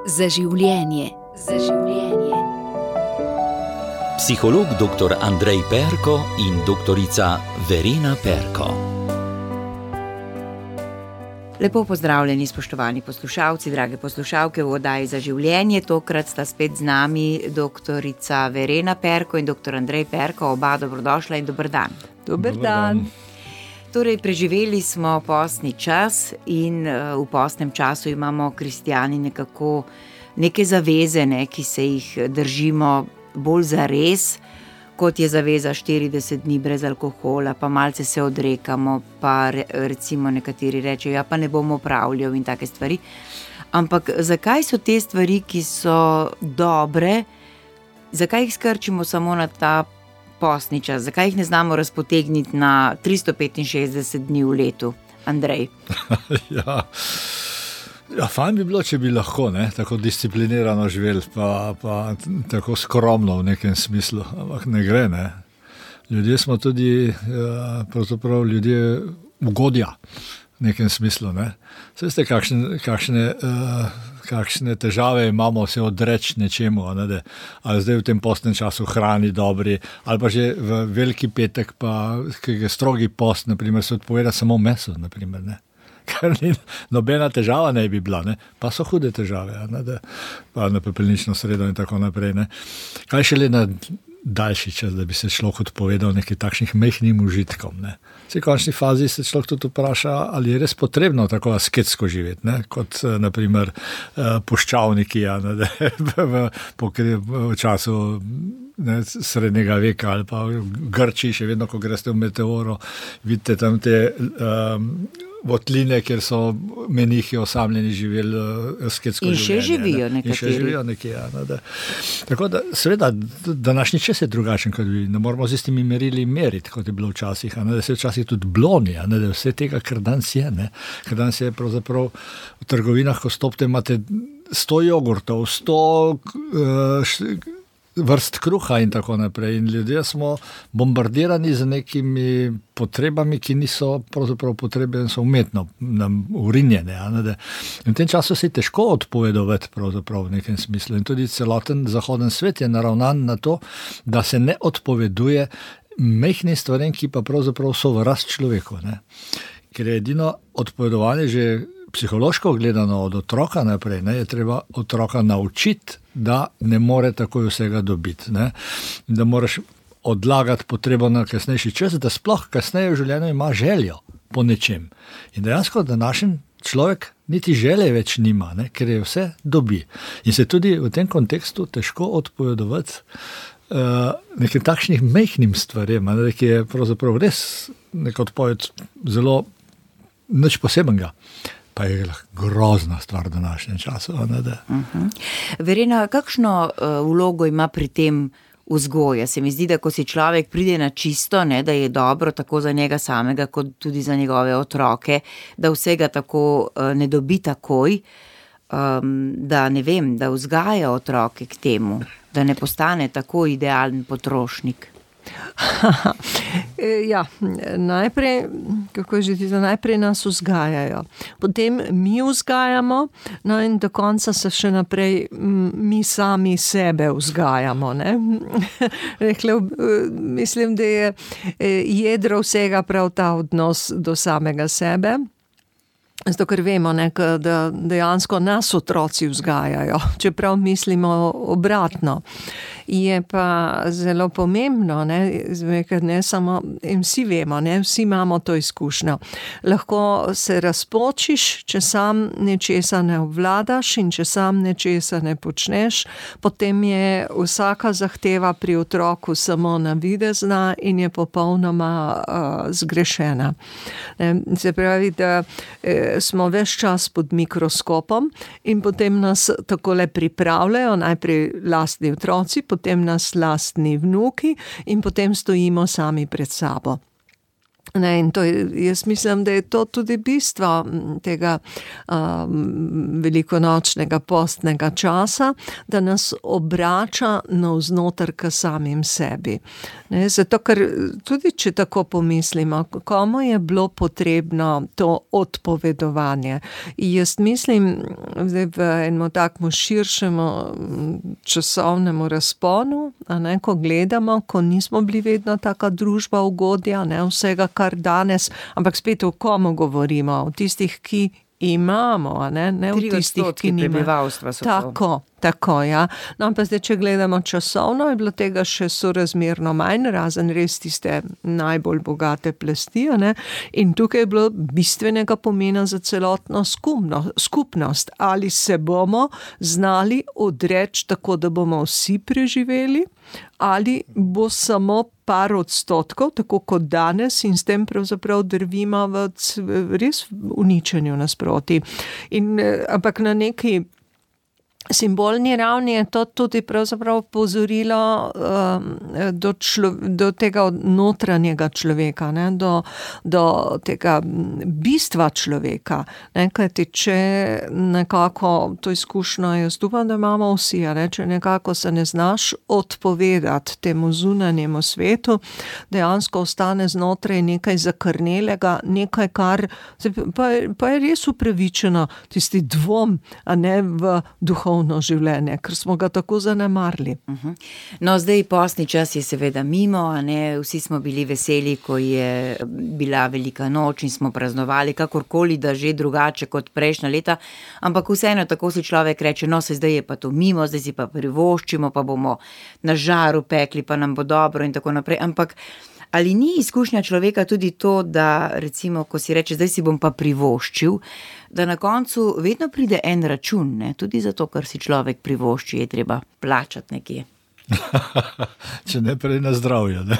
Za življenje. Za življenje. Psiholog dr. Andrej Perko in doktorica Verena Perko. Lepo pozdravljeni, spoštovani poslušalci, drage poslušalke v oddaji Za življenje. Tokrat sta spet z nami doktorica Verena Perko in dr. Andrej Perko. Oba dobrodošla in dober dan. Dober dan. Torej, preživeli smo postni čas in v postnem času imamo kristjani nekako neke zaveze, ki se jih držimo bolj zares, kot je zaveza 40 dni brez alkohola, pa malce se odrekamo, pa recimo nekateri rečejo, ja, pa ne bomo opravljal in take stvari. Ampak zakaj so te stvari, ki so dobre, zakaj jih skrčimo samo na ta postni čas? Zakaj jih ne znamo razpotegniti na 365 dni v letu? Andrej. Ja, fajn bi bilo, če bi lahko, tako disciplinirano živeli, pa tako skromno v nekem smislu, ampak ne gre, Ljudje smo tudi, pravzaprav ljudje ugodja v nekem smislu, Saj veste, kakšne težave imamo se odreči nečemu, ali zdaj v tem postnem času hrani dobri, ali pa že v veliki petek, pa strogi post, naprimer, se odpoveda samo meso, naprimer, Kar ni nobena težava ne bi bila, pa so hude težave, pa na pepelnično sredo in tako naprej. Kaj šele na daljši čas, da bi se človek odpovedal nekaj takšnih mehnim užitkom. V končni fazi se človek tudi vpraša, ali je res potrebno tako asketsko živeti, kot naprimer puščavniki v času srednjega veka ali pa v Grčiji, še vedno, ko greste v Meteoro, vidite tam te votline, kjer so menihi osamljeni živeli asketsko življenje. In še živijo nekateri. In še živijo nekje, Tako da, seveda, današnji čas je drugačen, kot bi, ne moramo z istimi merili meriti, kot je bilo včasih, da se včasih tudi bloni, da vse tega, kar danes je, Ker danes je pravzaprav v trgovinah, ko stopite, imate 100 jogurtov, 100 vrst kruha in tako naprej. In ljudje smo bombardirani z nekimi potrebami, ki niso pravzaprav potrebe, so umetno nam urinjene. In v tem času se je težko odpovedovati pravzaprav v nekem smislu. In tudi celoten zahoden svet je naravnan na to, da se ne odpoveduje mehnim stvarem, ki pa pravzaprav so v rast človeku. Ker je edino odpovedovanje že psihološko gledano od otroka naprej, je treba otroka naučiti, da ne more takoj vsega dobiti. Da moraš odlagati potrebo na kasnejši čas, da sploh kasneje v življenju ima željo po nečem. In dejansko današnji človek niti želje več nima, ker je vse dobi. In se tudi v tem kontekstu težko odpovedovati nekim takšnih mehnim stvarem, ki je pravzaprav res nek odpoved zelo nič posebenega. Pa je grozna stvar v današnjem času. Verena, kakšno vlogo ima pri tem vzgoja? Se mi zdi, da ko si človek pride na čisto, da je dobro tako za njega samega, kot tudi za njegove otroke, da vsega tako ne dobi takoj, da ne vem, da vzgaja otroke k temu, da ne postane tako idealen potrošnik. Ja, najprej, najprej nas vzgajajo, potem mi vzgajamo, in do konca se še naprej mi sami sebe vzgajamo. Mislim, da je jedro vsega prav ta odnos do samega sebe. Zato, ker vemo, da dejansko nas otroci vzgajajo, čeprav mislimo obratno. Je pa zelo pomembno, ker ne samo, in vsi vemo, vsi imamo to izkušnjo. Lahko se razpočiš, če sam nečesa ne obvladaš in če sam nečesa ne počneš, potem je vsaka zahteva pri otroku samo navidezna in je popolnoma zgrešena. Se pravi, da smo ves čas pod mikroskopom in potem nas takole pripravljajo, najprej lastni otroci, potem nas lastni vnuki in potem stojimo sami pred sabo. Ne, in jaz mislim, da je to tudi bistvo tega velikonočnega postnega časa, da nas obrača navznoter k samim sebi. Ne, zato, ker tudi če tako pomislimo, komu je bilo potrebno to odpovedovanje. In jaz mislim, zdaj v enem takmu širšemu časovnemu razponu, ko gledamo, ko nismo bili vedno taka družba ugodja, vsega, kar danes, ampak spet o komu govorimo, o tistih, ki imamo, ne o tistih, ki nimajo. Tako, ja. No, pa zdaj, če gledamo časovno, je bilo tega še sorazmerno manj, razen res tiste najbolj bogate plasti, ne? In tukaj je bilo bistvenega pomena za celotno skupnost. Ali se bomo znali odreči tako, da bomo vsi preživeli, ali bo samo par odstotkov, tako kot danes, in s tem pravzaprav drvimo v res uničenju nasproti. Ampak na neki simbolni ravni je to tudi pravzaprav pozorilo do tega notranjega človeka, ne, do tega bistva človeka. Ne, kajti, če nekako to izkušnjo, jaz upam, da imamo vsi, ne, če nekako se ne znaš odpovedati temu zunanjemu svetu, dejansko ostane znotraj nekaj zakrnelega, nekaj, kar pa je res upravičeno, tisti dvom, a ne v duhovno življenje, ker smo ga tako zanemarili. No, zdaj postni čas je seveda mimo, a ne, vsi smo bili veseli, ko je bila velika noč in smo praznovali, kakorkoli, da že drugače kot prejšnja leta, ampak vseeno tako si človek reče, no, zdaj je pa to mimo, zdaj si pa privoščimo, pa bomo na žaru pekli, pa nam bo dobro in tako naprej, ampak ali ni izkušnja človeka tudi to, da recimo, ko si reče, zdaj si bom pa privoščil, da na koncu vedno pride en račun, ne? Tudi zato, ker si človek privošči, je treba plačati nekje. Če ne prej na zdravje, ne?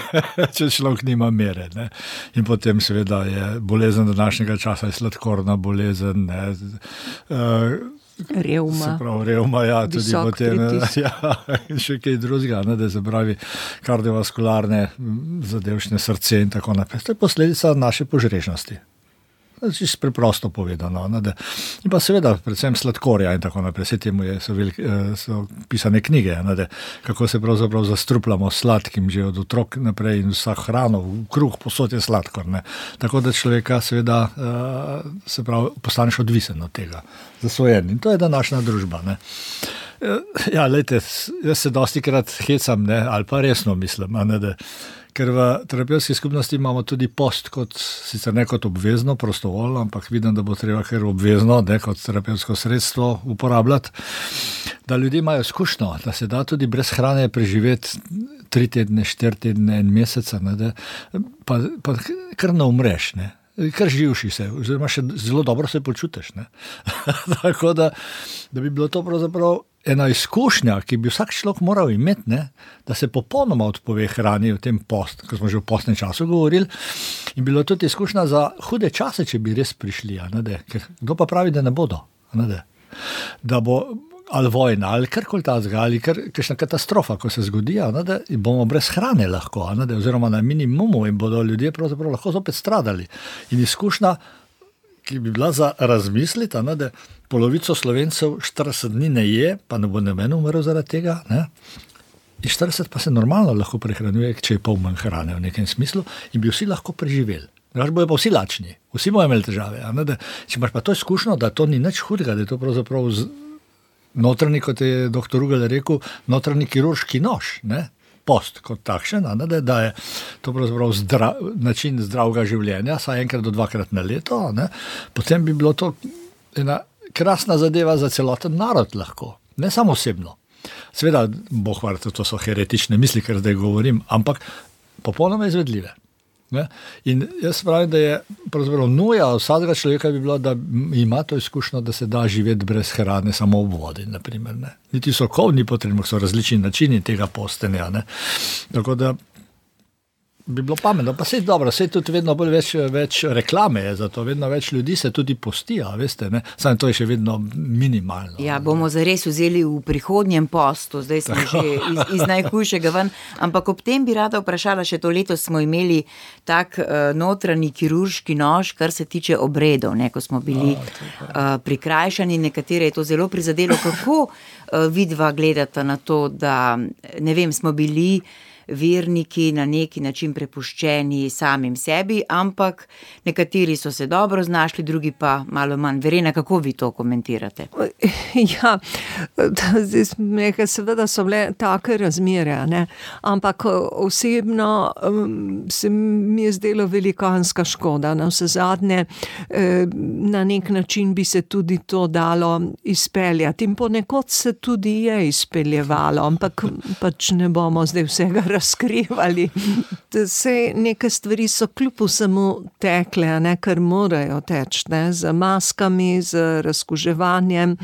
Če človek nima mere. Ne? In potem seveda je bolezen današnjega časa, je sladkorna bolezen, ne? Revma, ja, tudi potem, ja, in še kaj drugega, ne, da se pravi kardiovaskularne zadevšne srce in tako naprej. To je posledica naše požrešnosti. Čisto preprosto povedano. Ne, in pa seveda predvsem sladkorja in tako naprej. Vse temu so pisane knjige, ne, kako se pravzaprav zastrupljamo sladkim že od otrok naprej in vsa hrano, kruh, posod je sladkor. Ne. Tako da človeka seveda se pravi, postaneš odvisen od tega. Zasvojen. In to je današnja družba. Ne. Ja, lejte, jaz se dostikrat hecam, ne, ali pa resno mislim, ne, ker v terapevtski skupnosti imamo tudi post, sicer ne kot obvezno, prostovoljno, ampak vidim, da bo treba kar obvezno, ne, kot terapevtsko sredstvo uporabljati, da ljudje imajo izkušnjo, da se da tudi brez hrane preživeti 3 tedne, 4 tedne, 1 mesec, ne, pa kar ne umreš, ne. Kar živši se, oziroma še zelo dobro se počutiš. Ne? Tako da bi bilo to pravzaprav ena izkušnja, ki bi vsak človek moral imeti, ne? Da se popolnoma odpove hrani v tem post, ko smo že v postnem času govorili, in bilo tudi izkušnja za hude čase, če bi res prišli. Ker kdo pa pravi, da ne bodo? Da bo ali vojna, ali karkoli tazga, ali kakšna katastrofa, ko se zgodi, da bomo brez hrane lahko, oziroma na minimumu in bodo ljudje pravzaprav lahko zopet stradali. In izkušnja, ki bi bila za razmisliti, da polovico Slovencev 40 dni ne je, pa ne bo noben umrl zaradi tega, ne? In 40 pa se normalno lahko prehranjuje, če je pol manj hrane v nekem smislu, in bi vsi lahko preživeli. Bojo pa vsi lačni, vsi bojo imeli težave. Če imaš pa to izkušnjo, da to ni nič hudega, da je to pravzaprav notranji, kot je dr. Rugel rekel, notranji kirurški nož, ne? Post kot takšen, da je to pravzaprav način zdravega življenja, saj 1 do 2 na leto, ne? Potem bi bilo to ena krasna zadeva za celoten narod lahko, ne samo osebno. Seveda, Bog hvala, to so heretične misli, ker zdaj govorim, ampak popolnoma izvedljive. Ne? In jaz pravim, da je pravzaprav nuja vsakega človeka bi bilo, da ima to izkušnjo, da se da živeti brez hrane samo ob vodi, naprimer. Ne? Niti sokov ni potrebno, so različni načini tega postenja. Ne? Tako da bi bilo pametno, pa sej dobro, sej tudi vedno bolj več reklame je za to, vedno več ljudi se tudi postija, veste, ne? Samo to je še vedno minimalno. Ja, bomo zares vzeli v prihodnjem postu, zdaj smo že iz najhujšega ven, ampak ob tem bi rada vprašala, še to letos smo imeli tak notranji kirurški nož, kar se tiče obredov, ne, ko smo bili prikrajšani, nekatere je to zelo prizadelo. Kako vidva gledata na to, da, ne vem, smo bili verniki na neki način prepuščeni samim sebi, ampak nekateri so se dobro znašli, drugi pa malo manj. Verena, kako vi to komentirate? Ja, seveda so bile take razmere, ne? Ampak osebno se mi je zdelo velikanska škoda. Na vse zadnje na nek način bi se tudi to dalo izpeljati in ponekod se tudi je izpeljevalo, ampak pač ne bomo zdaj vsega razkrivali. Sej neke stvari so kljub vsemu tekle, ne, kar morajo teči, ne, z maskami, z razkuževanjem,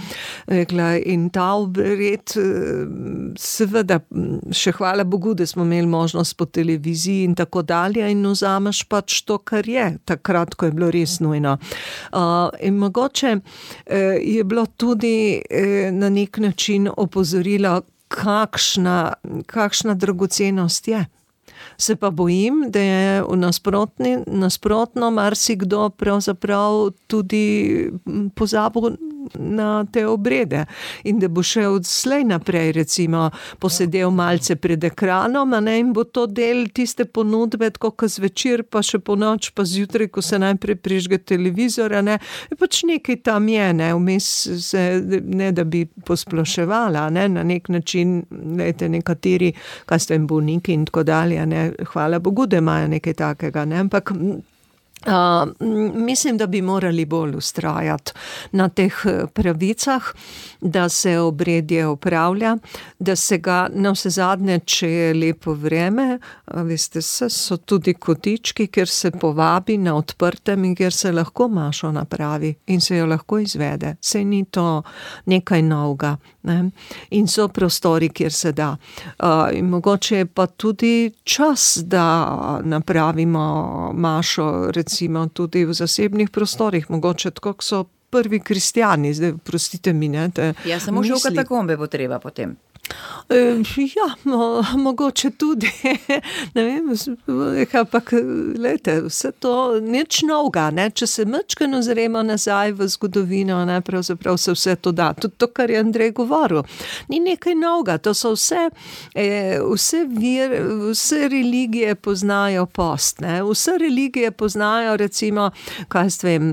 in ta obred, seveda, še hvala Bogu, da smo imeli možnost po televiziji in tako dalje in vzameš pač to, kar je, takrat, ko je bilo res nujno. In mogoče je bilo tudi na nek način opozorilo, kakšna dragocenost je. Se pa bojim, da je nasprotno marsikdo pravzaprav tudi pozabil na te obrede in da bo še odslej naprej recimo posedel malce pred ekranom, ne, in bo to del tiste ponudbe, tako kot zvečer, pa še po noč, pa zjutraj, ko se najprej prižge televizor, ne, pač nekaj tam je, ne, vmes se, ne da bi posploševala, ne, na nek način, lejte, nekateri, kaj ste bolniki in tako dalje, ne, hvala Bogu, da imajo nekaj takega, ne, ampak mislim, da bi morali bolj vztrajati na teh pravicah, da se obredje opravlja, da se ga na vse zadnje, če je lepo vreme, veste, so tudi kotički, kjer se povabi na odprtem in kjer se lahko mašo napravi in se jo lahko izvede. Sej ni to nekaj novega, ne? In so prostori, kjer se da. In mogoče je pa tudi čas, da napravimo mašo, recimo tudi v zasebnih prostorih, mogoče tako, ko so prvi kristjani, zdaj prostite mi, ne, ja, samo že v katakombe bo treba potem. Ja, mogoče tudi, ne vem, ampak lejte, vse to nič novega, ne, če se majčkeno ozremo nazaj v zgodovino, ne, pravzaprav se vse to da, tudi to, kar je Andrej govoril, ni nekaj novega, to so vse religije poznajo post, ne, vse religije poznajo, recimo, kaj vem,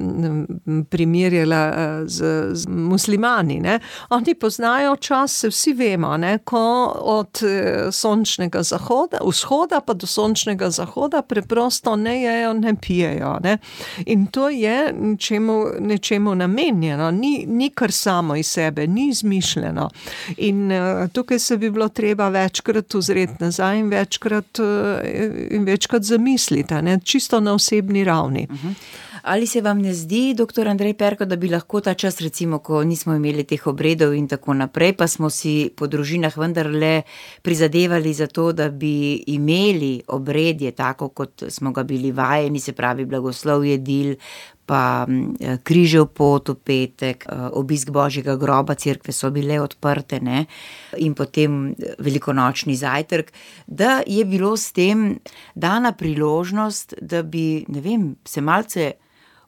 primerjala z muslimani, ne, oni poznajo čas, se vsi vemo, ne, ko od sončnega vzhoda pa do sončnega zahoda preprosto ne jejo, ne pijejo, ne. In to je nečemu namenjeno, ni kar samo iz sebe, ni izmišljeno. In tukaj se bi bilo treba večkrat ozreti nazaj in večkrat zamisliti, ne, čisto na osebni ravni. Ali se vam ne zdi, doktor Andrej Perko, da bi lahko ta čas, recimo, ko nismo imeli teh obredov in tako naprej, pa smo si po družinah vendarle prizadevali za to, da bi imeli obredje tako, kot smo ga bili vajeni, se pravi blagoslov jedil, pa križev pot v petek, obisk Božjega groba, cerkve so bile odprte, ne, in potem velikonočni zajtrk, da je bilo s tem dana priložnost, da bi, ne vem, se malce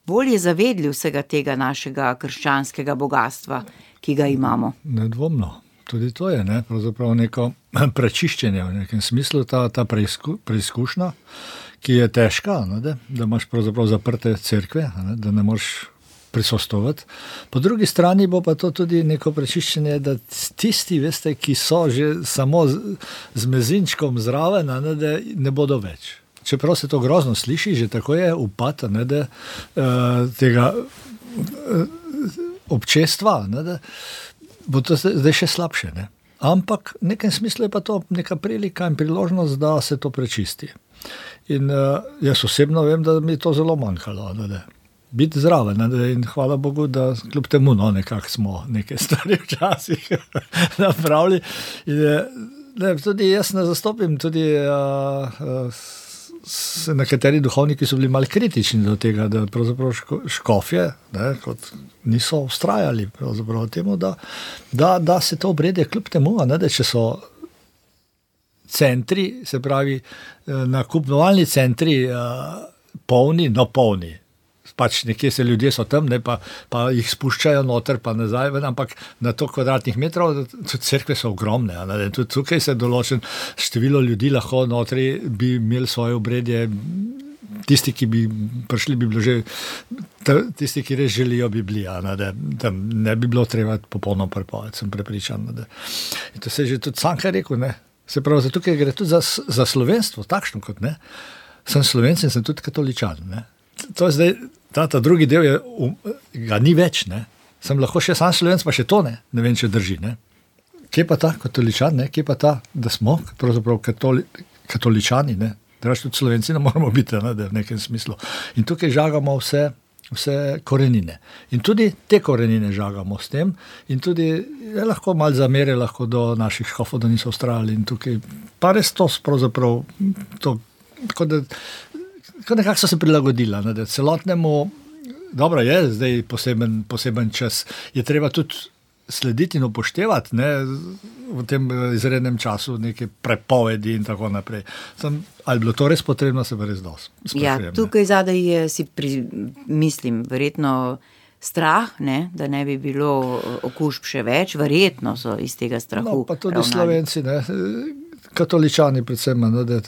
bolje zavedli vsega tega našega krščanskega bogatstva, ki ga imamo. Nedvomno. Tudi to je, ne, pravzaprav neko prečiščenje v nekem smislu, ta preizkušnja, ki je težka, ne, da imaš pravzaprav zaprte cerkve, ne, da ne moreš prisostovati. Po drugi strani bo pa to tudi neko prečiščenje, da tisti, veste, ki so že samo z mezinčkom zraven, ne, da ne bodo več. Čeprav se to grozno sliši, že tako je upad, ne, da tega občestva, ne, da bo to zdaj še slabše. Ne. Ampak v nekem smislu je pa to neka prilika in priložnost, da se to prečisti. In jaz osebno vem, da mi je to zelo manjkalo, ne, biti zraven, ne, in hvala Bogu, da kljub temu, no, nekako smo neke stvari včasih napravili. In, ne, tudi jaz ne zastopim tudi nekateri duhovniki so bili malo kritični do tega, da pravzaprav škofje, ne, kot niso vztrajali pravzaprav temu, da se to obredje kljub temu, ne, da če so centri, se pravi nakupovalni centri polni, pač nekje se ljudje so tam, ne, pa jih spuščajo noter, pa nazaj, ampak na to kvadratnih metrov, tudi cerkve so ogromne, ne, tudi tukaj se določen število ljudi lahko notri bi imeli svoje obredje, tisti, ki bi prišli, bi bilo že, tisti, ki res želijo, bi bili, da tam ne bi bilo treba popolno prepoved, sem prepričan. In to se je že tudi Cankar rekel, ne. Se pravi, tukaj gre tudi za slovenstvo, takšno kot ne. Sem Slovenc in sem tudi katoličan, ne. To je zdaj, ta drugi del je, ga ni več, ne. Sem lahko še sam Slovenc, pa še to ne vem, če drži, ne. Kje pa ta katoličan, ne, kje pa ta, da smo pravzaprav katoličani, ne, da tudi Slovenci ne moramo biti, ne, v nekem smislu. In tukaj žagamo vse korenine. In tudi te korenine žagamo s tem in tudi je lahko malo zamere lahko do naših škofov, da niso vztrajali in tukaj, pa res to pravzaprav, to, tako da nekako so se prilagodila, ne, da celotnemu, dobro je, zdaj poseben čas, je treba tudi slediti in upoštevati, ne, v tem izrednem času neke prepovedi in tako naprej. Ali bilo to res potrebno, se pa res dosti. Ja, tukaj zadaj je, mislim, verjetno strah, ne, da ne bi bilo okužb še več, verjetno so iz tega strahu. No, pa tudi Slovenci, ne, katoličani predvsem, ne, da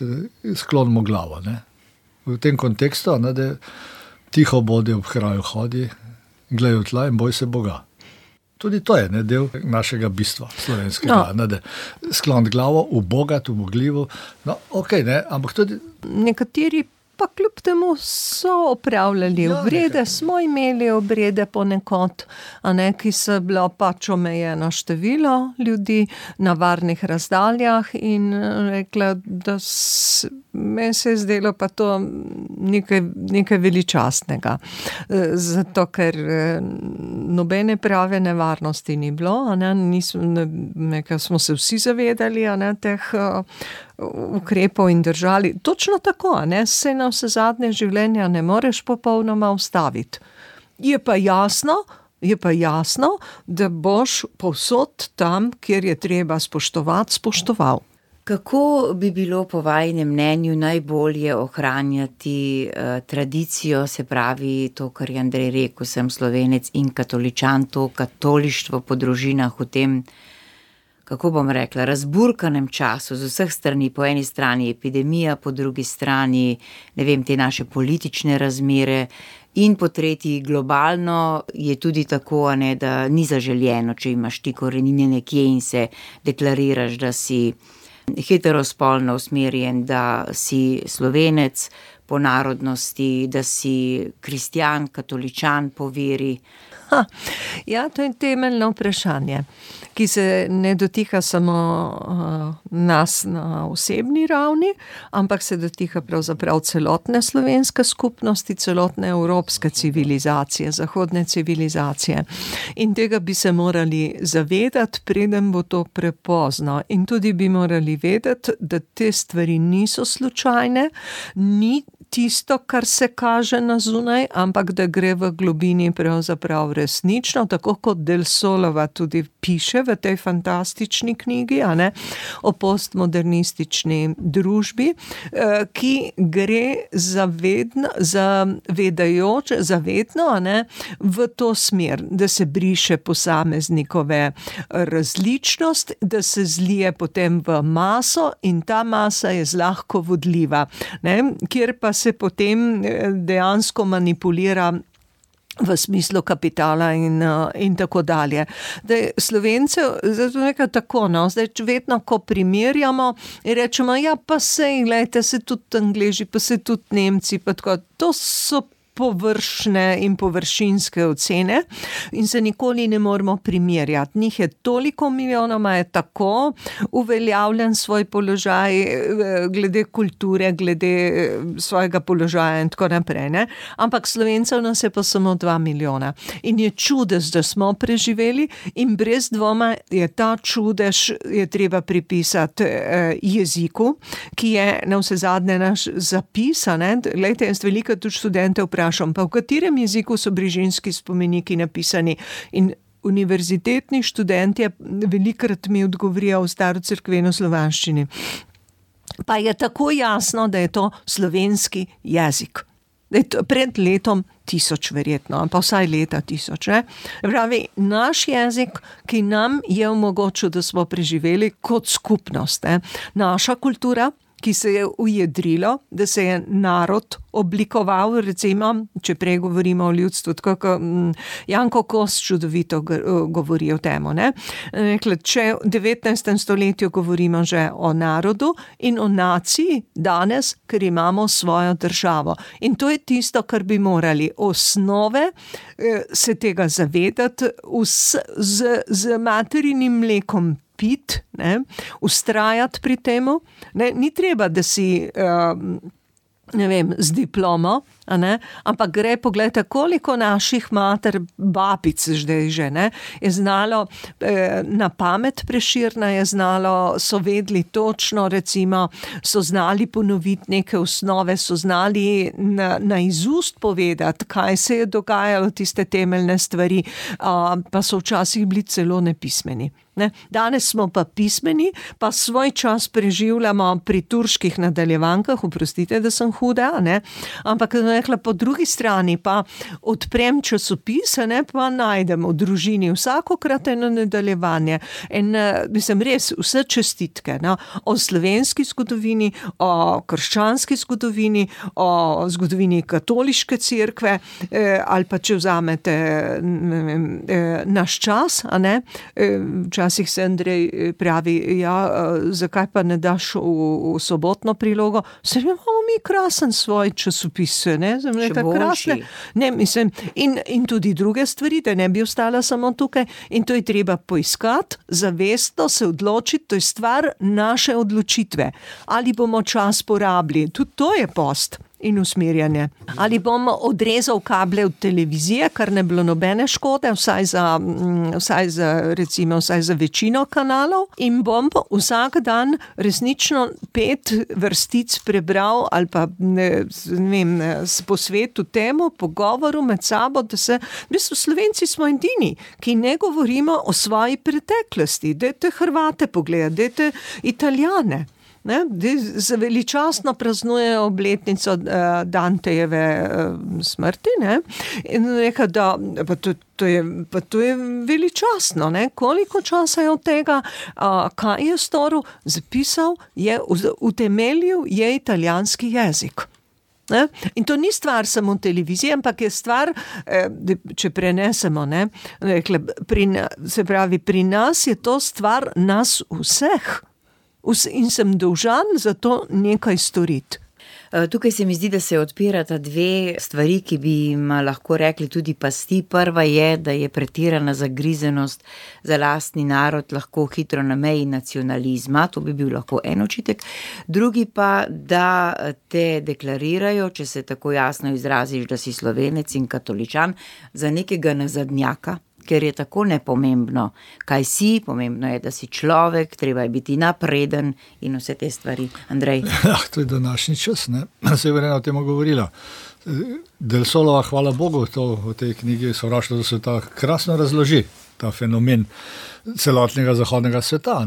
sklonimo glavo, ne. V tem kontekstu, ne, da tiho bodi ob kraju hodi, gledajo tla in boj se Boga. Tudi to je, ne, del našega bistva slovenskega, ne, da sklon glavo, ubogat, ubogljivo, no, okej, ne, ampak tudi... Nekateri pa kljub temu so opravljali obrede, smo imeli obrede ponekod, ki so bilo pač omejeno število ljudi na varnih razdaljah in rekla, da meni se je zdelo pa to nekaj veličastnega. Zato, ker nobene prave nevarnosti ni bilo, smo se vsi zavedali, teh ukrepov in držali. Točno tako, se na vse zadnje življenja ne moreš popolnoma ustaviti. Je pa jasno, da boš povsod tam, kjer je treba spoštovati, spoštoval. Kako bi bilo po vajinem mnenju najbolje ohranjati tradicijo, se pravi to, kar je Andrej rekel, sem Slovenec in katoličan, to katolištvo po družinah v tem, kako bom rekla, razburkanem času z vseh strani, po eni strani epidemija, po drugi strani, ne vem, te naše politične razmere in po tretji globalno je tudi tako, da ni zaželjeno, če imaš ti korenine nekje in se deklariraš, da si heterospolno usmerjen, da si Slovenec po narodnosti, da si kristjan, katoličan po veri. Ja, to je temeljno vprašanje, ki se ne dotika samo nas na osebni ravni, ampak se dotika pravzaprav celotne slovenske skupnosti, celotne evropske civilizacije, zahodne civilizacije. In tega bi se morali zavedati, preden bo to prepozno. In tudi bi morali vedeti, da te stvari niso slučajne, ni tisto, kar se kaže na zunaj, ampak da gre v globini pravzaprav resnično, tako kot Del Solova tudi piše v tej fantastični knjigi, o postmodernistični družbi, ki gre zavedno, v to smer, da se briše posameznikove različnost, da se zlije potem v maso in ta masa je zlahko vodljiva, kjer pa se potem dejansko manipulira v smislu kapitala in tako dalje. Slovence, zato nekaj tako, zdaj vedno, ko primerjamo, rečemo, ja, pa sej, gledajte, se tudi Angleži, pa se tudi Nemci, pa tako, to so površne in površinske ocene in se nikoli ne moremo primerjati. Njih je toliko milijonoma, je tako uveljavljen svoj položaj glede kulture, glede svojega položaja in tako naprej. Ne? Ampak Slovencev nas je pa samo 2 milijona. In je čudež, da smo preživeli in brez dvoma je ta čudež je treba pripisati jeziku, ki je na vse zadnje naš zapis. Glejte, jaz veliko tudi študente vprašam, pa v katerem jeziku so Brižinski spomeniki napisani in univerzitetni študentje velikrat mi odgovorijo v starocerkveno slovanščini. Pa je tako jasno, da je to slovenski jezik. Pred letom 1000 verjetno, pa vsaj leta 1000. Ne? Pravi, naš jezik, ki nam je omogočil, da smo preživeli kot skupnost. Ne? Naša kultura, ki se je ujedrilo, da se je narod oblikoval, recimo, če prej govorimo o ljudstvu, tako kot Janko Kos čudovito govori o temu. Če v 19. stoletju govorimo že o narodu in o naciji danes, ker imamo svojo državo. In to je tisto, kar bi morali osnove se tega zavedati, z materinim mlekom pit, ustrajati pri temu. Ni treba, da si z diplomo, ampak gre, pogledajte, koliko naših mater, babic zdaj že, je znalo na pamet Prešerna, je znalo, so vedli točno, recimo, so znali ponoviti neke osnove, so znali na izust povedati, kaj se je dogajalo, tiste temeljne stvari, pa so včasih bili celo nepismeni. Danes smo pa pismeni, pa svoj čas preživljamo pri turških nadaljevankah, oprostite, da sem huda, ampak po drugi strani pa odprem časopise, pa najdem v družini vsakokrat eno nadaljevanje. In mislim, res vse čestitke o slovenski zgodovini, o krščanski zgodovini, o zgodovini katoliške cerkve, ali pa če vzamete naš čas, včasih se Andrej pravi, zakaj pa ne daš v sobotno prilogo? Se imamo mi krasen svoj časopis, in tudi druge stvari, da ne bi ostala samo tukaj, in to je treba poiskati, zavestno se odločiti, to je stvar naše odločitve. Ali bomo čas porabili, tudi to je post in usmerjanje. Ali bom odrezal kable od televizije, kar ne bilo nobene škode, vsaj za večino kanalov, in bom vsak dan resnično 5 vrstic prebral ali pa posvetil temu, pogovoru med sabo, da se, Slovenci smo edini, ki ne govorimo o svoji preteklosti. Dajte Hrvate pogledati, dajte Italijane. Veličastno praznujejo obletnico Dantejeve smrti, in reka, da to je veličastno, koliko časa je od tega, kaj je storil, zapisal, je utemeljil, je italijanski jezik. In to ni stvar samo televizije, ampak je stvar, če prenesemo, se pravi, pri nas je to stvar nas vseh. In sem dolžan za to nekaj storiti. Tukaj se mi zdi, da se odpirata 2 stvari, ki bi jim lahko rekli tudi pasti. Prva je, da je pretirana zagrizenost za lastni narod lahko hitro na meji nacionalizma, to bi bil lahko en očitek. Drugi pa, da te deklarirajo, če se tako jasno izraziš, da si Slovenec in katoličan, za nekega nazadnjaka. Ker je tako nepomembno, kaj si, pomembno je, da si človek, treba je biti napreden in vse te stvari. Andrej? To je današnji čas, se je Verena o tem govorila. Del Solova, hvala Bogu, to v tej knjigi Sovraštvo do sveta krasno razloži, ta fenomen celotnega zahodnega sveta.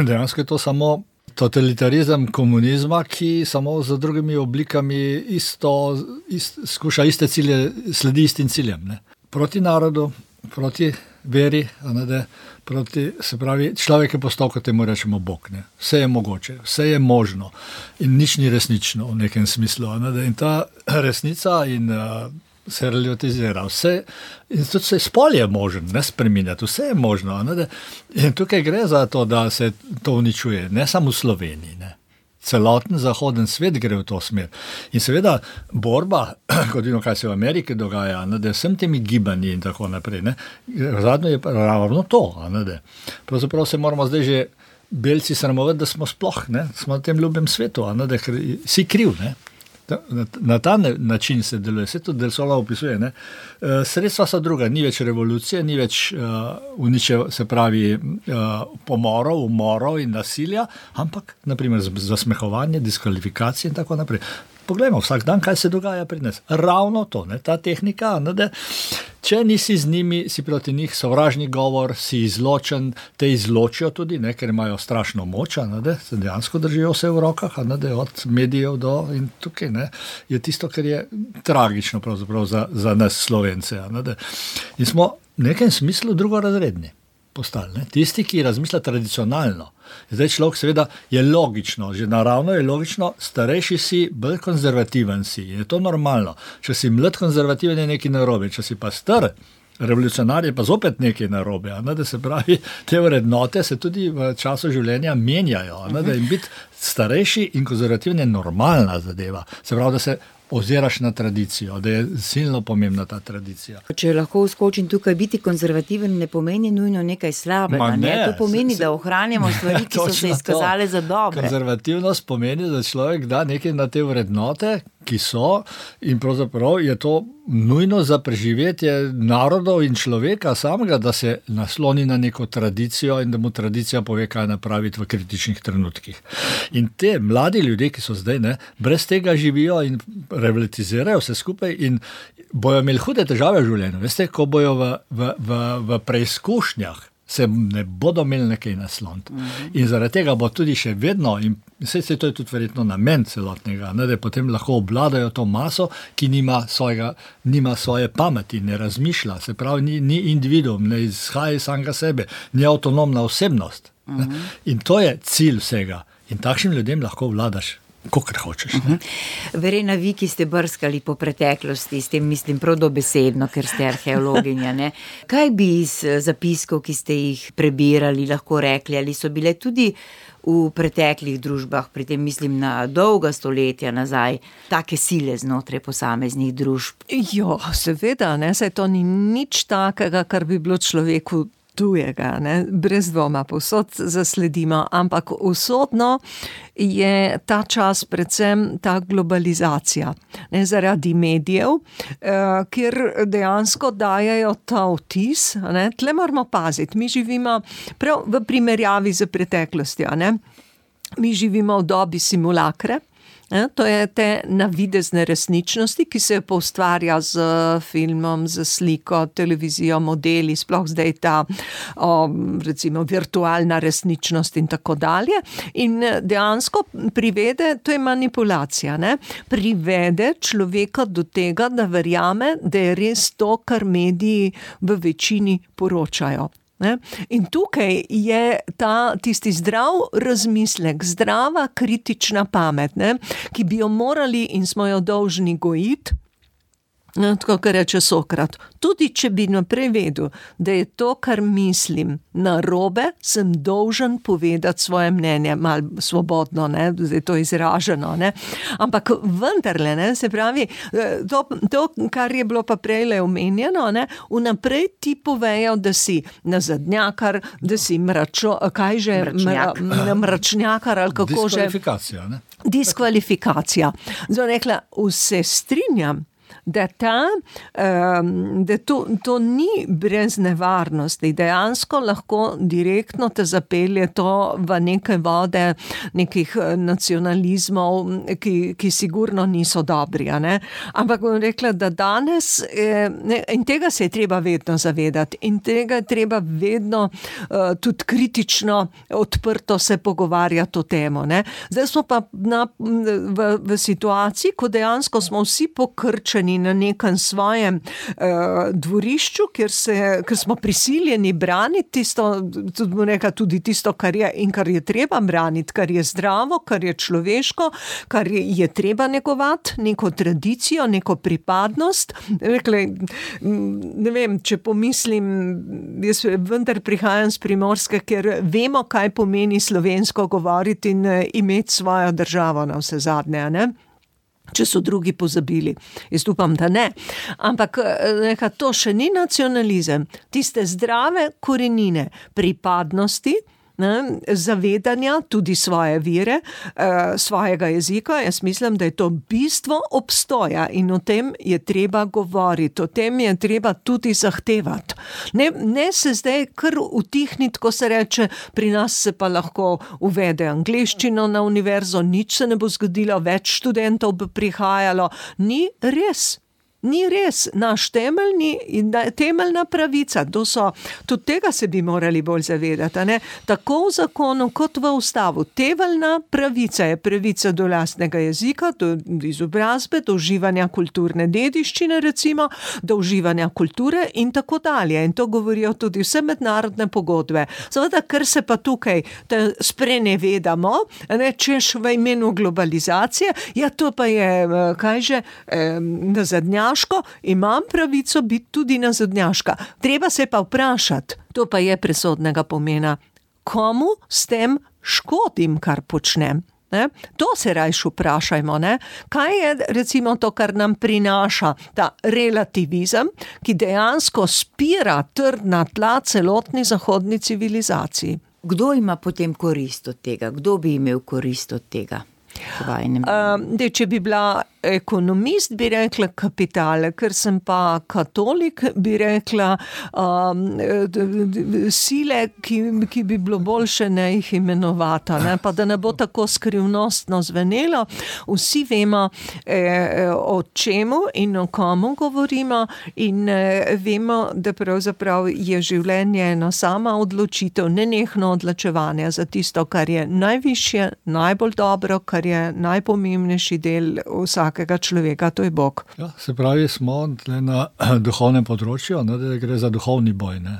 Dejansko je to samo totalitarizem komunizma, ki samo z drugimi oblikami skuša iste cilje, sledi istim ciljem. Proti narodu, proti veri, se pravi, človek je postal, kot temu rečemo, Bog. Vse je mogoče, vse je možno in nič ni resnično v nekem smislu. In ta resnica se relativizira. In tudi se spol je možen, spreminjati, vse je možno. In tukaj gre za to, da se to uničuje, ne samo v Sloveniji. celoten zahoden svet gre v to smer. In seveda borba, kot vidimo, kaj se v Ameriki dogaja, da vsem temi gibanji in tako naprej, zadnjo je ravno to. Pravzaprav se moramo zdaj že belci sramovati, da smo sploh, smo na tem ljubem svetu, ker si kriv, Na ta način se deluje, vse to Del Sola opisuje. Sredstva so druga, ni več revolucije, ni več se pravi pomorov, umorov in nasilja, ampak naprimer zasmehovanje, diskvalifikacije in tako naprej. Poglejmo vsak dan, kaj se dogaja pri nas. Ravno to, ta tehnika, če nisi z njimi, si proti njih sovražni govor, si izločen, te izločijo tudi, ker imajo strašno moč, se dejansko držijo vse v rokah, od medijev do in tukaj je tisto, kar je tragično pravzaprav za nas Slovence. In smo v nekem smislu drugorazredni postali. Tisti, ki razmišlja tradicionalno. Zdaj človek seveda je logično, že naravno je logično, starejši si, bolj konzervativen si. Je to normalno. Če si mlad konzervativen, je nekaj narobe. Če si pa star revolucionar, je pa zopet nekaj narobe. Da se pravi, te vrednote se tudi v času življenja menjajo. Da in biti starejši in konzervativen je normalna zadeva. Se pravi, da se oziraš na tradicijo, da je silno pomembna ta tradicija. Če lahko uskočim tukaj, biti konzervativen ne pomeni nujno nekaj slabega. To pomeni, da ohranjamo stvari, ki so se izkazale za dobre. Konzervativnost pomeni, da človek da nekaj na te vrednote, ki so, in pravzaprav je to nujno za preživetje narodov in človeka samega, da se nasloni na neko tradicijo in da mu tradicija pove, kaj napraviti v kritičnih trenutkih. In te mladi ljudje, ki so zdaj, brez tega živijo in revitalizirajo vse skupaj in bojo imeli hude težave v življenju. Veste, ko bojo v preizkušnjah, se ne bodo imeli nekaj nasloniti. In zaradi tega bo tudi še vedno, in to je tudi verjetno namen celotnega, da potem lahko obvladajo to maso, ki nima svoje pameti, ne razmišlja, se pravi, ni individuum, ne izhaja iz samega sebe, ni avtonomna osebnost. In to je cilj vsega. In takšnim ljudem lahko vladaš, kakor hočeš. Verena, vi, ki ste brskali po preteklosti, s tem mislim prav dobesedno, ker ste arheologinja, kaj bi iz zapiskov, ki ste jih prebirali, lahko rekli, ali so bile tudi v preteklih družbah, pri tem mislim na dolga stoletja nazaj, take sile znotraj posameznih družb? Jo, seveda, saj to ni nič takega, kar bi bilo človeku tujega, brez dvoma, povsod zasledimo, ampak usodno je ta čas predvsem ta globalizacija, zaradi medijev, kjer dejansko dajajo ta vtis, tle moramo paziti, mi živimo prav v primerjavi z preteklostjo, mi živimo v dobi simulakre. To je te navidezne resničnosti, ki se poustvarja z filmom, z sliko, televizijo, modeli, sploh zdaj ta recimo virtualna resničnost in tako dalje. In dejansko privede, to je manipulacija, privede človeka do tega, da verjame, da je res to, kar mediji v večini poročajo. In tukaj je tisti zdrav razmislek, zdrava kritična pamet, ki bi jo morali in smo jo dolžni gojiti, tako kar reče Sokrat. Tudi če bi naprej vedel, da je to, kar mislim, narobe, sem dolžen povedati svoje mnenje, malo svobodno, da je to izraženo, ampak vendarle, se pravi, to, kar je bilo pa prejle omenjeno, vnaprej ti povejo, da si nazadnjakar, da si mračnjakar ali kako že. Diskvalifikacija. Zdaj rekla, vse strinjam, da to ni brez nevarnosti, dejansko lahko direktno te zapelje to v neke vode nekih nacionalizmov, ki sigurno niso dobri, ampak bom rekla, da danes in tega se je treba vedno zavedati in tega je treba vedno tudi kritično odprto se pogovarjati o temo, Zdaj smo pa v situaciji, ko dejansko smo vsi pokrčeni ločeni na nekem svojem dvorišču, ker smo prisiljeni braniti tudi tisto, kar je in kar je treba braniti, kar je zdravo, kar je človeško, kar je treba negovati, neko tradicijo, neko pripadnost. Ne vem, če pomislim, jaz vendar prihajam z Primorske, ker vemo, kaj pomeni slovensko govoriti in imeti svojo državo na vse zadnje, ne? Če so drugi pozabili. Jaz upam, da ne. Ampak to še ni nacionalizem. Tiste zdrave korenine pripadnosti, zavedanja tudi svoje vire, svojega jezika. Jaz mislim, da je to bistvo obstoja in o tem je treba govoriti, o tem je treba tudi zahtevati. Ne se zdaj kar utihniti, ko se reče, pri nas se pa lahko uvede angleščino na univerzo, nič se ne bo zgodilo, več študentov bo prihajalo. Ni res. Ni res, naš temeljna pravica, tudi tega se bi morali bolj zavedati, ne? Tako v zakonu kot v ustavu. Temeljna pravica je pravica do lastnega jezika, do izobrazbe, do uživanja kulturne dediščine recimo, do uživanja kulture in tako dalje. In to govorijo tudi vse mednarodne pogodbe. Seveda, ker se pa tukaj sprenevedamo, češ v imenu globalizacije, ja to pa je, nazadnjaško, imam pravico biti tudi nazadnjaška. Treba se pa vprašati, to pa je presodnega pomena, komu s tem škodim, kar počnem. Ne? To se rajš vprašajmo, ne? Kaj je recimo to, kar nam prinaša ta relativizem, ki dejansko spira trdna tla celotni zahodni civilizaciji. Kdo ima potem korist od tega? Kdo bi imel korist od tega? Če bi bila ekonomist, bi rekla kapital, ker sem pa katolik, bi rekla sile, ki bi bilo boljše ne jih imenovati, ne? Pa da ne bo tako skrivnostno zvenelo. Vsi vemo, o čemu in o komu govorimo in vemo, da pravzaprav je življenje ena sama odločitev, nenehno odločevanje za tisto, kar je najvišje, najbolj dobro, kar je najpomembnejši del vsakega človeka, to je Bog. Ja, se pravi, smo na duhovnem področju, ne, da gre za duhovni boj, ne,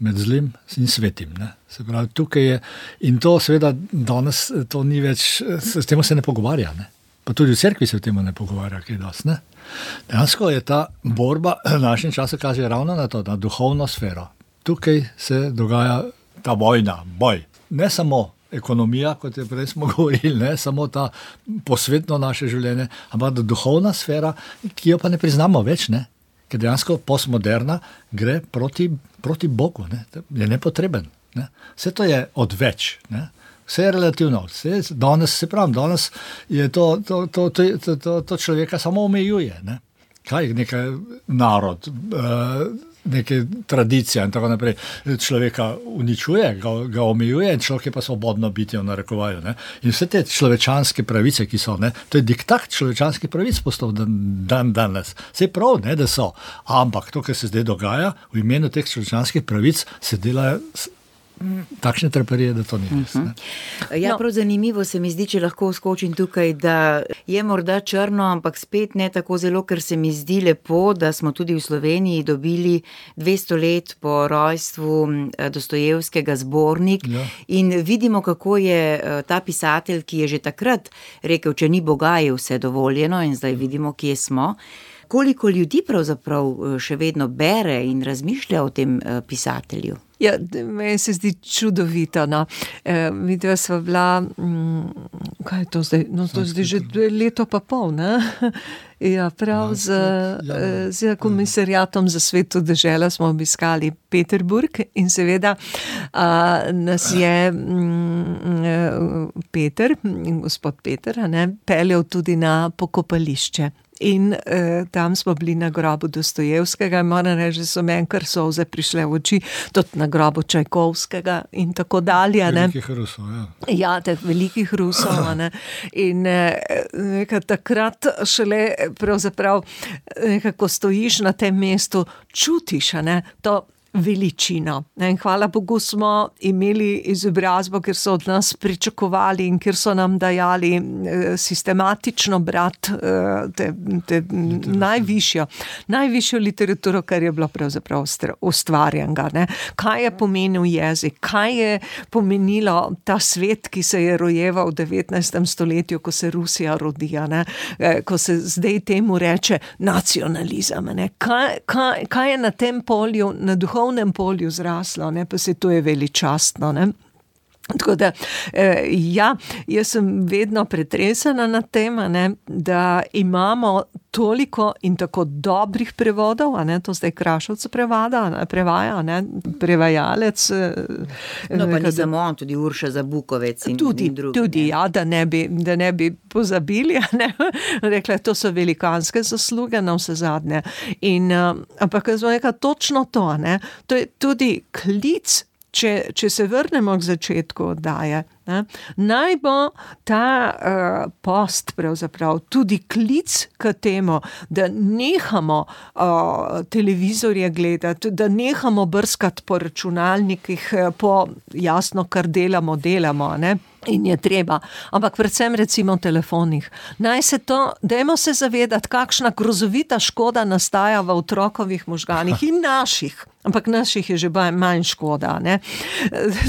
med zlim in svetim. Ne. Se pravi, tukaj je, in to seveda danes to ni več, s tem se ne pogovarja, ne. Pa tudi v cerkvi se v tem ne pogovarja, kaj dosti, ne. Dejansko je ta borba v našem času kaže ravno na to, na duhovno sfero. Tukaj se dogaja ta vojna, boj. Ne samo ekonomija, kot je prej smo govorili, ne, samo ta posvetno naše življenje, ampak duhovna sfera, ki jo pa ne priznamo več, ne, ker dejansko postmoderna gre proti Bogu, ne, je nepotreben. Ne. Vse to je odveč, ne. Vse je relativno, danes je to človeka samo omejuje, ne. Kaj nekaj narod, neke tradicije in tako naprej, človeka uničuje, ga omejuje in človek je pa svobodno bitje v narekovaju. Ne? In vse te človečanske pravice, ki so, ne? To je diktat človečanskih pravic postal danes. Vse prav, ne, da so, ampak to, kar se zdaj dogaja, v imenu teh človečanskih pravic se delajo takšne traparije, da to ni res. Ja, prav zanimivo se mi zdi, če lahko skočim tukaj, da je morda črno, ampak spet ne tako zelo, ker se mi zdi lepo, da smo tudi v Sloveniji dobili 200 let po rojstvu Dostojevskega zbornik in vidimo, kako je ta pisatelj, ki je že takrat rekel, če ni Boga, je vse dovoljeno in zdaj vidimo, kje smo. Koliko ljudi pravzaprav še vedno bere in razmišlja o tem pisatelju? Ja, meni se zdi čudovito, no. Videla sva bila, kaj je to zdaj? No, to je zdaj že leto pa pol, ne? Ja, prav z komisariatom za Sveto deželo smo obiskali Peterburg in seveda nas je gospod Peter, peljal tudi na pokopališče. In tam smo bili na grobu Dostojevskega in moram reči, da so meni kar solze prišle v oči, tudi na grobu Čajkovskega in tako dalje. Velikih Rusov, ja. Ja, teh velikih Rusov. In takrat šele pravzaprav nekako stojiš na tem mestu, čutiš, to veličino. In hvala Bogu smo imeli izobrazbo, ker so od nas pričakovali in ker so nam dajali sistematično brati najvišjo literaturo, kar je bilo pravzaprav ustvarjenega. Ne? Kaj je pomenil jezik, kaj je pomenilo ta svet, ki se je rojeval v 19. stoletju, ko se Rusija rodija, ne? Ko se zdaj temu reče nacionalizem. Ne? Kaj je na tem polju, na duhovnem polju zraslo, ne? Pa se to je veličastno. Ne? Tako da, jaz sem vedno pretresena nad tem, ne, da imamo toliko in tako dobrih prevodov, ne, to zdaj Krašovc prevaja, ne, prevajalec. No, pa ni samo on, tudi Urša Zabukovec in drugi. Tudi, ja, da ne bi pozabili, ne, rekla, to so velikanske zasluge na vse zadnje. Ampak jaz bom rekla točno to, ne, to je tudi klic. Če se vrnemo k začetku oddaje, ne, naj bo ta post pravzaprav tudi klic k temu, da nehamo televizorje gledati, da nehamo brskati po računalnikih, po jasno, kar delamo, ne. In je treba, ampak predvsem recimo v telefonih. Dajmo se zavedati, kakšna grozovita škoda nastaja v otrokovih možganih in naših. Ampak naših je že manj škoda, ne.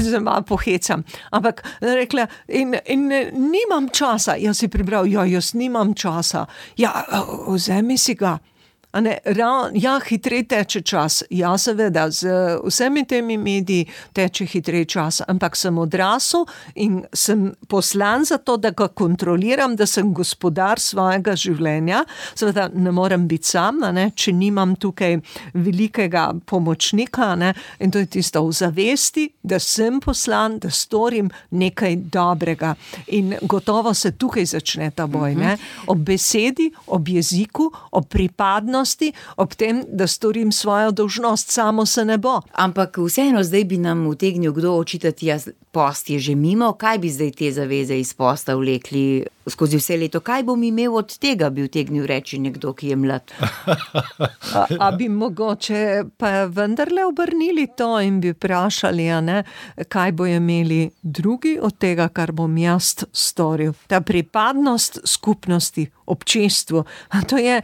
Zdaj malo pohecam. Ampak rekla, in nimam časa. Jaz si prebral, jaz nimam časa. Ja, vzemi si ga. Hitrej teče čas. Ja, seveda, z vsemi temi mediji teče hitrej čas, ampak sem odrasel in sem poslan za to, da ga kontroliram, da sem gospodar svojega življenja. Seveda ne morem biti sam, ne, če nimam tukaj velikega pomočnika, ne, in to je tisto v zavesti, da sem poslan, da storim nekaj dobrega. In gotovo se tukaj začne ta boj, ne, ob besedi, ob jeziku, ob pripadnosti, ob tem, da storim svojo dolžnost, samo se ne bo. Ampak vseeno zdaj bi nam utegnil kdo očitati, post je že mimo, kaj bi zdaj te zaveze iz posta vlekli skozi vse leto? Kaj bom imel od tega, bi utegnil reči nekdo, ki je mlad? A bi mogoče pa vendarle obrnili to in bi vprašali, ne, kaj bo imeli drugi od tega, kar bom jaz storil. Ta pripadnost skupnosti, občestvu, to je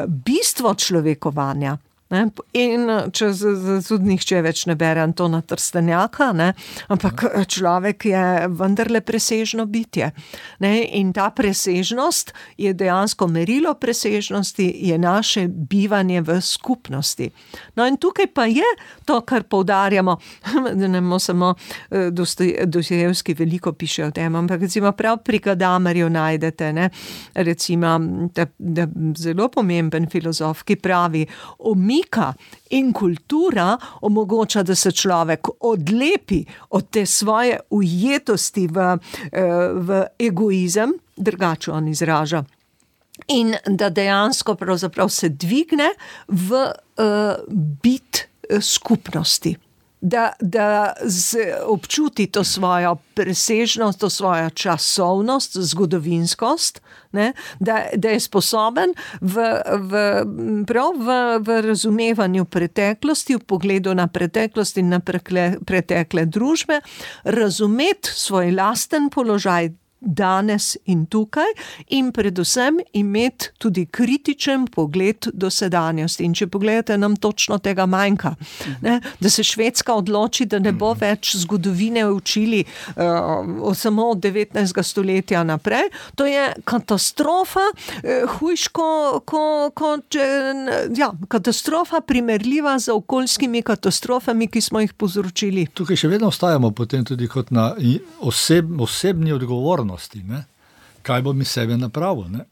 bistvo človekovanja. Ne? In če tudi nihče več ne bere Antona Trstenjaka, ne? Ampak človek je vendarle presežno bitje. Ne? In ta presežnost je dejansko merilo presežnosti, je naše bivanje v skupnosti. No in tukaj pa je to, kar poudarjamo, da ne bomo samo Dostojevski veliko piše o tem, ampak recimo prav pri Gadamerju najdete, ne? Recimo, da zelo pomemben filozof, ki pravi, umika in kultura omogoča, da se človek odlepi od te svoje ujetosti v egoizem, drugače on izraža, in da dejansko pravzaprav se dvigne v bit skupnosti. Da občuti to svojo presežnost, to svojo časovnost, zgodovinskost, ne? Da je sposoben v razumevanju preteklosti, v pogledu na preteklost in na pretekle družbe, razumeti svoj lasten položaj danes in tukaj in predvsem imeti tudi kritičen pogled do sedanjosti. In če pogledate, nam točno tega manjka. Ne? Da se Švedska odloči, da ne bo več zgodovine učili samo od 19. stoletja naprej. To je katastrofa, katastrofa primerljiva z okoljskimi katastrofami, ki smo jih povzročili. Tukaj še vedno ostajamo potem tudi kot na osebni odgovornosti. Ne? Kaj bom iz sebe napravil? Ne?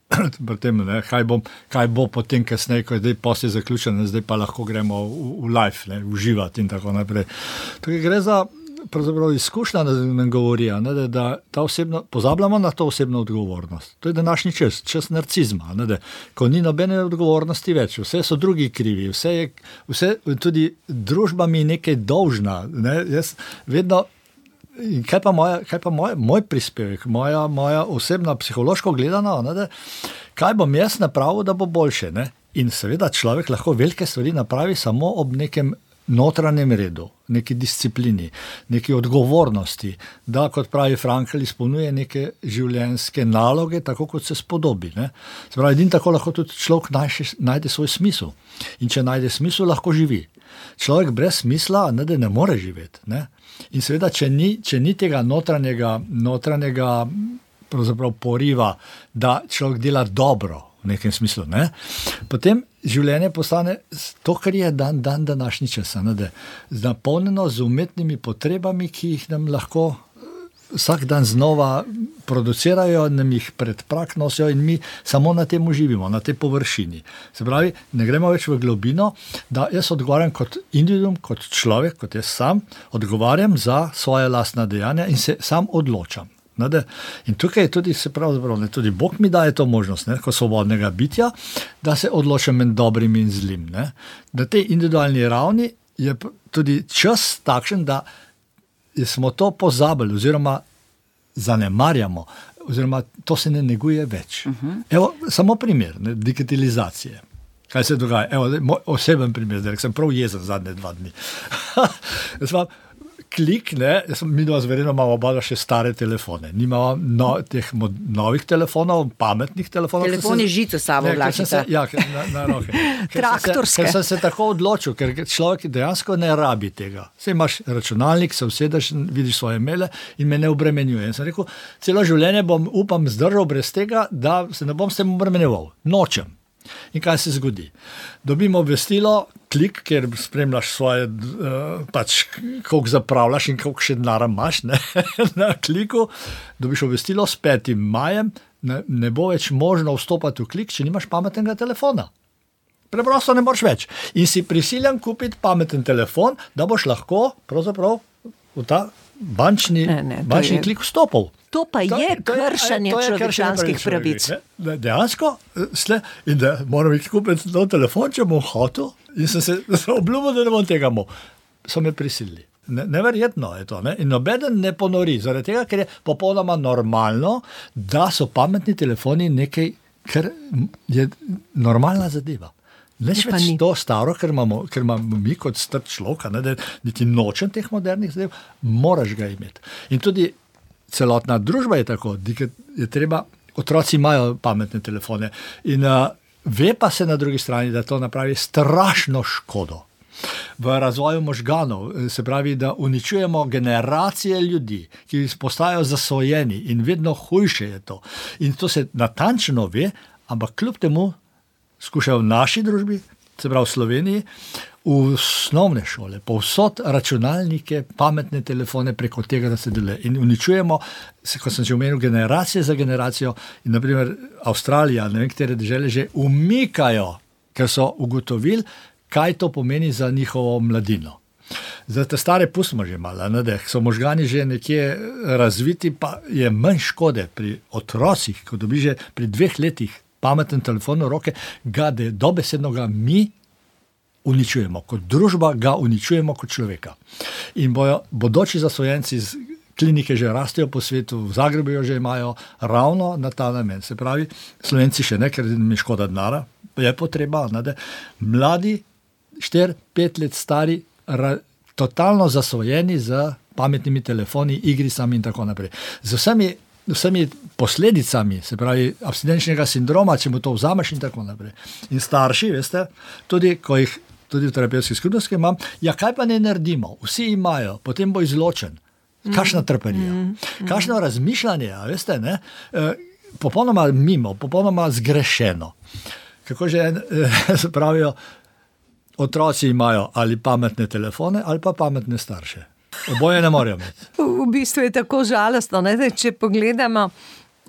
Tem, ne? Kaj bo potem kasneje, ko je zdaj posle zaključen, zdaj pa lahko gremo v life, ne? Uživati in tako naprej. Tukaj gre za pravzaprav izkušnja, da nam govori, ne? Da pozabljamo na to osebno odgovornost. To je današnji čas narcizma, ne? Ko ni nobene odgovornosti več, vse so drugi krivi, vse tudi družba mi nekaj dolžna. Ne? Jaz vedno. In kaj pa moj prispevek, moja osebna psihološko gledana, ne, kaj bom jaz napravil, da bo boljše. Ne? In seveda človek lahko velike stvari napravi samo ob nekem notranjem redu, neki disciplini, neki odgovornosti, da, kot pravi Frankl, izpolnjuje neke življenjske naloge, tako kot se spodobi. Ne? Se pravi, edino tako lahko tudi človek najde svoj smisel. In če najde smisel, lahko živi. Človek brez smisla ne more živeti. Ne? In seveda, če ni tega notranjega pravzaprav poriva, da človek dela dobro, v nekem smislu, ne? Potem življenje postane to, kar je dan današnji čas, napolnjeno z umetnimi potrebami, ki jih nam lahko vsak dan znova producirajo, nam jih pred prak nosijo in mi samo na tem živimo, na tej površini. Se pravi, ne gremo več v globino, da jaz odgovarjam kot individuum, kot človek, kot jaz sam, odgovarjam za svoje lastna dejanja in se sam odločam. In tukaj tudi se pravzaprav, tudi Bog mi daje to možnost, kot svobodnega bitja, da se odločam med dobrim in zlim. Na tej individualni ravni je tudi čas takšen, da smo to pozabili oziroma zanemarjamo, oziroma to se ne neguje več. Evo, samo primer digitalizacije. Kaj se dogaja? Evo, moj oseben primer, zdaj sem prav jezen zadnje 2 dni. Klik, mi dva zverjeno imamo oba še stare telefone. Nimamo teh novih telefonov, pametnih telefonov. Telefoni žico sabo vlačita. Ja, na roke. Traktorske. Ker sem se tako odločil, ker človek dejansko ne rabi tega. Saj imaš računalnik, se usedeš, vidiš svoje maile in me ne obremenjuje. In sem rekel, celo življenje bom, upam, zdržal brez tega, da se ne bom s tem obremenjeval. Nočem. In kaj se zgodi? Dobimo obvestilo, klik, kjer spremljaš svoje, koliko zapravljaš in koliko še denarja imaš, na kliku, dobiš obvestilo s 5. majem, ne bo več možno vstopati v klik, če nimaš pametnega telefona. Preprosto ne moreš več. In si prisiljen kupiti pameten telefon, da boš lahko pravzaprav v ta bančni klik vstopil. To pa je kršenje človečanskih pravic. Dejansko, in da moram iti kupiti nov telefon, če bom hotel, in sem se obljubil, da ne bom tega imel. So me prisilili. Neverjetno je to. In nobeden ne ponori, zaradi tega, ker je popolnoma normalno, da so pametni telefoni nekaj, kar je normalna zadeva. Neč več to staro, ker imamo mi kot star človek, da niti nočem teh modernih zadev, moraš ga imeti. In tudi celotna družba je tako, je treba, otroci imajo pametne telefone in ve pa se na drugi strani, da to napravi strašno škodo v razvoju možganov, se pravi, da uničujemo generacije ljudi, ki postajajo zasvojeni in vedno hujše je to. In to se natančno ve, ampak kljub temu skušajo v naši družbi, se pravi v Sloveniji, v osnovne šole, povsod računalnike, pametne telefone preko tega, da se deluje. In uničujemo, kot sem že omenil, generacije za generacijo. In naprimer Avstralija, ne vem, katere dežele že umikajo, ker so ugotovili, kaj to pomeni za njihovo mladino. Zdaj, te stare pustimo že malo, so možgani že nekje razviti, pa je manj škode pri otrocih, ko dobi že pri 2 letih pameten telefon v roke, ga dobesedno ga mi uničujemo, kot družba ga uničujemo kot človeka. In bodoči zasvojenci z klinike že rastejo po svetu, v Zagrebu jo že imajo ravno na ta namen. Se pravi, Slovenci še ne, ker mi škoda denara, je potreba, mladi, 4-5 let stari, totalno zasvojeni z pametnimi telefoni, igricami in tako naprej. Z vsemi posledicami, se pravi, abstinenčnega sindroma, če mu to vzameš in tako naprej. In starši, veste, tudi ko jih tudi v terapevtski skupnosti imam, kaj pa ne naredimo? Vsi imajo, potem bo izločen. Kakšna trparija, kakšno razmišljanje, veste, ne? Popolnoma mimo, popolnoma zgrešeno. Kako že se pravijo, otroci imajo ali pametne telefone, ali pa pametne starše. Oboje ne morajo imeti. V bistvu je tako žalostno, če pogledamo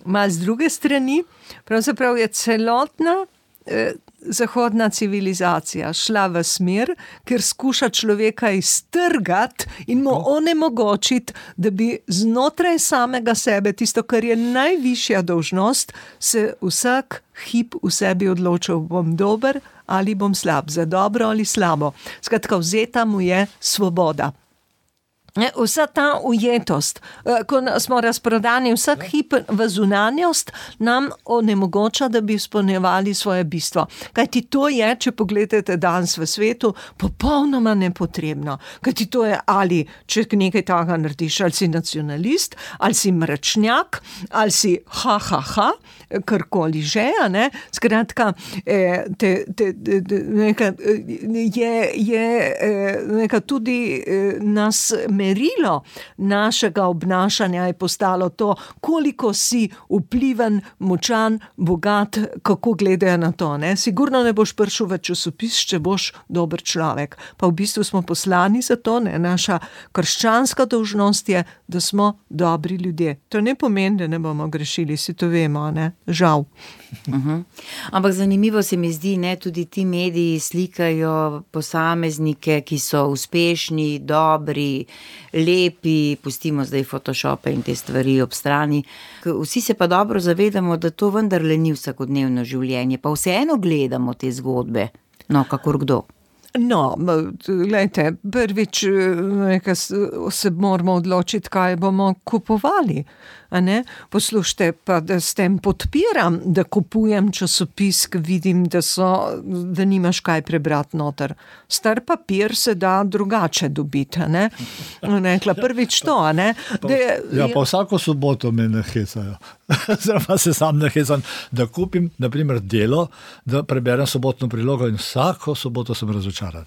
malo z druge strani, pravzaprav je celotna zahodna civilizacija šla v smer, ker skuša človeka iztrgati in mu onemogočiti, da bi znotraj samega sebe, tisto, kar je najvišja dolžnost, se vsak hip v sebi odločil, bom dober ali bom slab, za dobro ali slabo. Skratka, vzeta mu je svoboda. Vsa ta ujetost, ko smo razprodani vsak hip v zunanjost, nam onemogoča, da bi izpolnjevali svoje bistvo. Kajti to je, če pogledate danes v svetu, popolnoma nepotrebno. Kajti to je ali, če nekaj takega narediš, ali si nacionalist, ali si mračnjak, ali si karkoli že, ne? Skratka, neka tudi nas merilo našega obnašanja je postalo to, koliko si vpliven, močan, bogat, kako gledajo na to. Ne? Sigurno ne boš prišel v časopis, če boš dober človek. Pa v bistvu smo poslani za to, ne? Naša krščanska dolžnost je, da smo dobri ljudje. To ne pomeni, da ne bomo grešili, si to vemo, ne? Žal. Ampak zanimivo se mi zdi, ne, tudi ti mediji slikajo posameznike, ki so uspešni, dobri, lepi, pustimo zdaj Photoshope in te stvari ob strani. Vsi se pa dobro zavedamo, da to vendarle ni vsakodnevno življenje, pa vseeno gledamo te zgodbe, no, kakor kdo. No, gledajte, prvič se moramo odločiti, kaj bomo kupovali. A ne? Poslušajte, pa da s tem podpiram, da kupujem časopis, ki vidim, da nimaš kaj prebrati noter. Star papir se da drugače dobiti, a ne? Nekla, prvič to, a ne? Pa vsako soboto me nahecajo. Zdaj se sam nahecam, da kupim, na primer, Delo, da preberem sobotno prilogo in vsako soboto sem razočaran.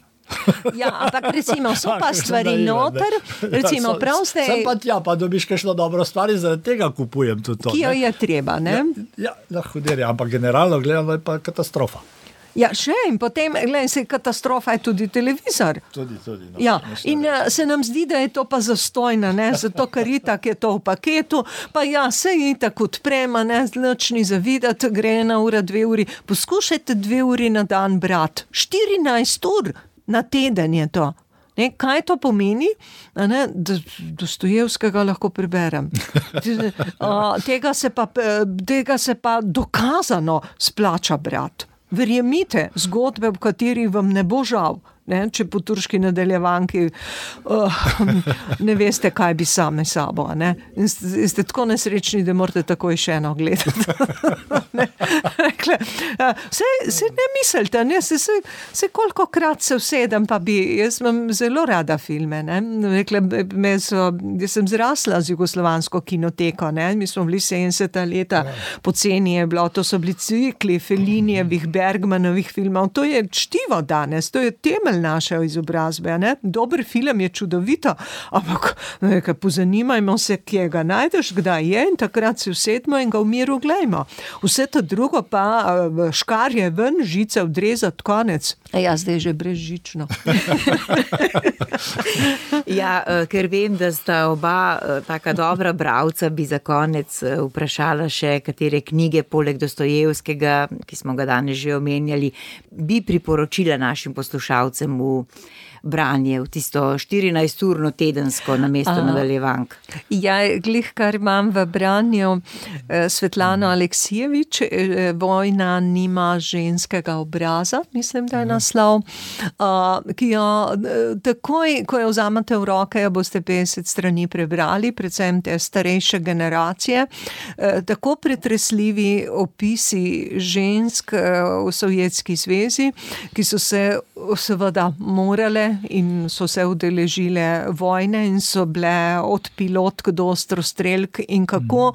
Ja, ampak recimo, so pa stvari noter, recimo prav ste... Sem pa tja, pa dobiš kakšno dobro stvar in zaradi tega kupujem tudi to. Ki jo je treba, ne? Ja, huderje, ampak generalno gledano je pa katastrofa. Ja, še in potem, gledaj, se katastrofa je tudi televizor. Tudi. No, ja, in se nam zdi, da je to pa zastojno, ne, zato ker itak je to v paketu, pa ja, se itak odprema, ne, nič ni zavidati, gre 1 ura, 2 uri, poskušajte 2 uri na dan brati, 14 ur na teden je to. Ne, kaj to pomeni? Ne, Dostojevskega lahko preberem. Tega se pa dokazano splača brati. Verjemite, zgodbe, v kateri vam ne bo žal, ne, če po turški nadaljevanki ne veste, kaj bi same sabo. Ne. In ste tako nesrečni, da morate takoj še eno gledati. Se ne mislite, ne, se kolikokrat se usedem, pa jaz imam zelo rada filme. Ne. Rekla, jaz sem zrasla z jugoslovansko kinoteko, ne. Mi smo bili 70. leta, poceni je bilo, to so bili cikli Fellinijevih, Bergmanovih filmov, to je čtivo danes, to je temelj naše izobrazbe, ne? Dober film je čudovito, ampak pozanimajmo se, kje ga najdeš, kdaj je in takrat se usedmo in ga v miru glejmo. Vse to drugo pa škarje ven, žice odrezati, konec. Ja, zdaj že brezžično. Ja, ker vem, da sta oba taka dobra bralca, bi za konec vprašala še, katere knjige poleg Dostojevskega, ki smo ga danes že omenjali, bi priporočila našim poslušalcem v branje, v tisto 14-urno tedensko namesto nadaljevank. Ja, glih, kar imam v branju Svetlano Aleksijevič, Vojna nima ženskega obraza, mislim, da je naslov, ki jo takoj, ko jo vzamete v roke, jo boste 50 strani prebrali, predvsem te starejše generacije, tako pretresljivi opisi žensk v Sovjetski zvezi, ki so se seveda morale in so se udeležile vojne in so bile od pilotk do ostrostrelk in kako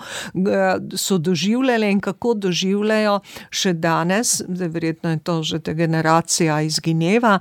so doživljale in kako doživljajo še danes, da verjetno je to že ta generacija izgineva,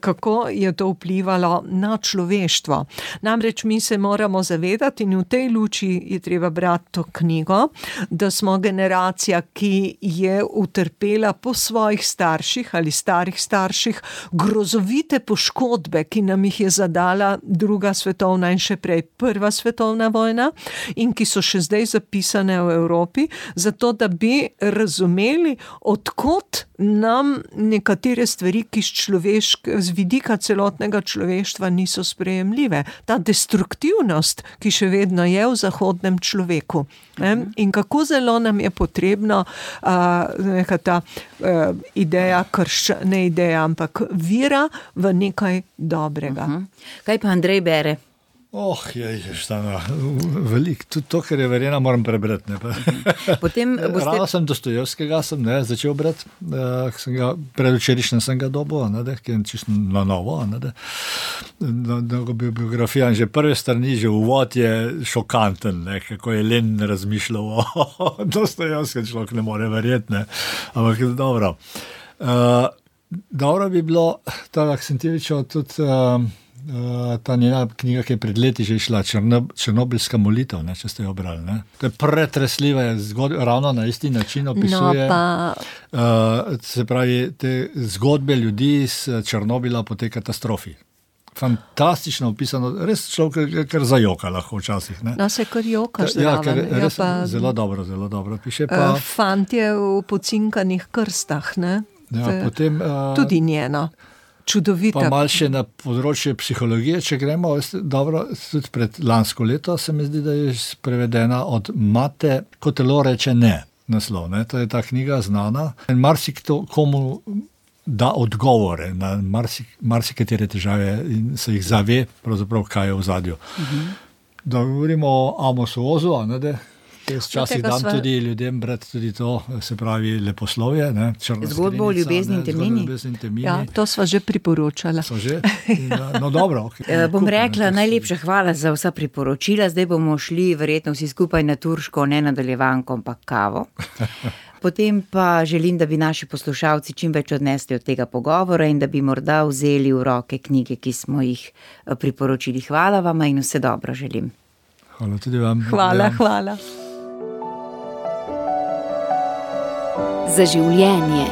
kako je to vplivalo na človeštvo. Namreč mi se moramo zavedati in v tej luči je treba brati to knjigo, da smo generacija, ki je utrpela po svojih starših ali starih starših grozovite poškodbe, ki nam jih je zadala druga svetovna in še prej prva svetovna vojna in ki so še zdaj zapisane v Evropi, zato da bi razumeli, odkot nam nekatere stvari, ki z vidika celotnega človeštva niso sprejemljive. Ta destruktivnost, ki še vedno je v zahodnem človeku. In kako zelo nam je potrebno neka ta ideja, ne ideja, ampak vera v nekaj dobrega. Kaj pa Andrej bere? Veliko. Tudi to, kar je Verena, moram prebrati. Rado sem Dostojevskega začel brati, predvčerajšnjem sem ga dobil, ki je čisto na novo. Biografija in že prve strani, že uvod je šokanten, kako je Len razmišljal o Dostojevskem, človek ne more verjeti. Ampak dobro. Dobro bi bilo, ta Aksentijevičeva tudi ta njena knjiga, ki je pred leti že išla, Černobilska molitev, če ste jo brali. To je pretresljiva, ravno na isti način opisuje se pravi, te zgodbe ljudi iz Černobila po tej katastrofi. Fantastično opisano, res človek kar zajoka lahko včasih. Se kar joka zraven. Res zelo dobro piše. Fantje v pocinkanih krstah, potem tudi njeno. Čudovita. Pa malo še na področje psihologije, če gremo, dobro, tudi pred lansko leto se mi zdi, da je prevedena od Mate, ko telo reče ne, naslov. To je ta knjiga znana. In marsikdo komu da odgovore na marsikatere težave in se jih zave, pravzaprav kaj je v zadju. Da govorimo o Amosu Ozu, včasih dam tudi ljudem brati tudi to, se pravi leposlovje. Zgodbo o ljubezni in temnini. Ja, to sva že priporočala. No dobro. Bom rekla najlepša hvala za vsa priporočila, zdaj bomo šli verjetno vsi skupaj na turško, ne nadaljevanko, ampak kavo. Potem pa želim, da bi naši poslušalci čim več odnesli od tega pogovora in da bi morda vzeli v roke knjige, ki smo jih priporočili. Hvala vama in vse dobro želim. Hvala tudi vam. Hvala. Za življenje.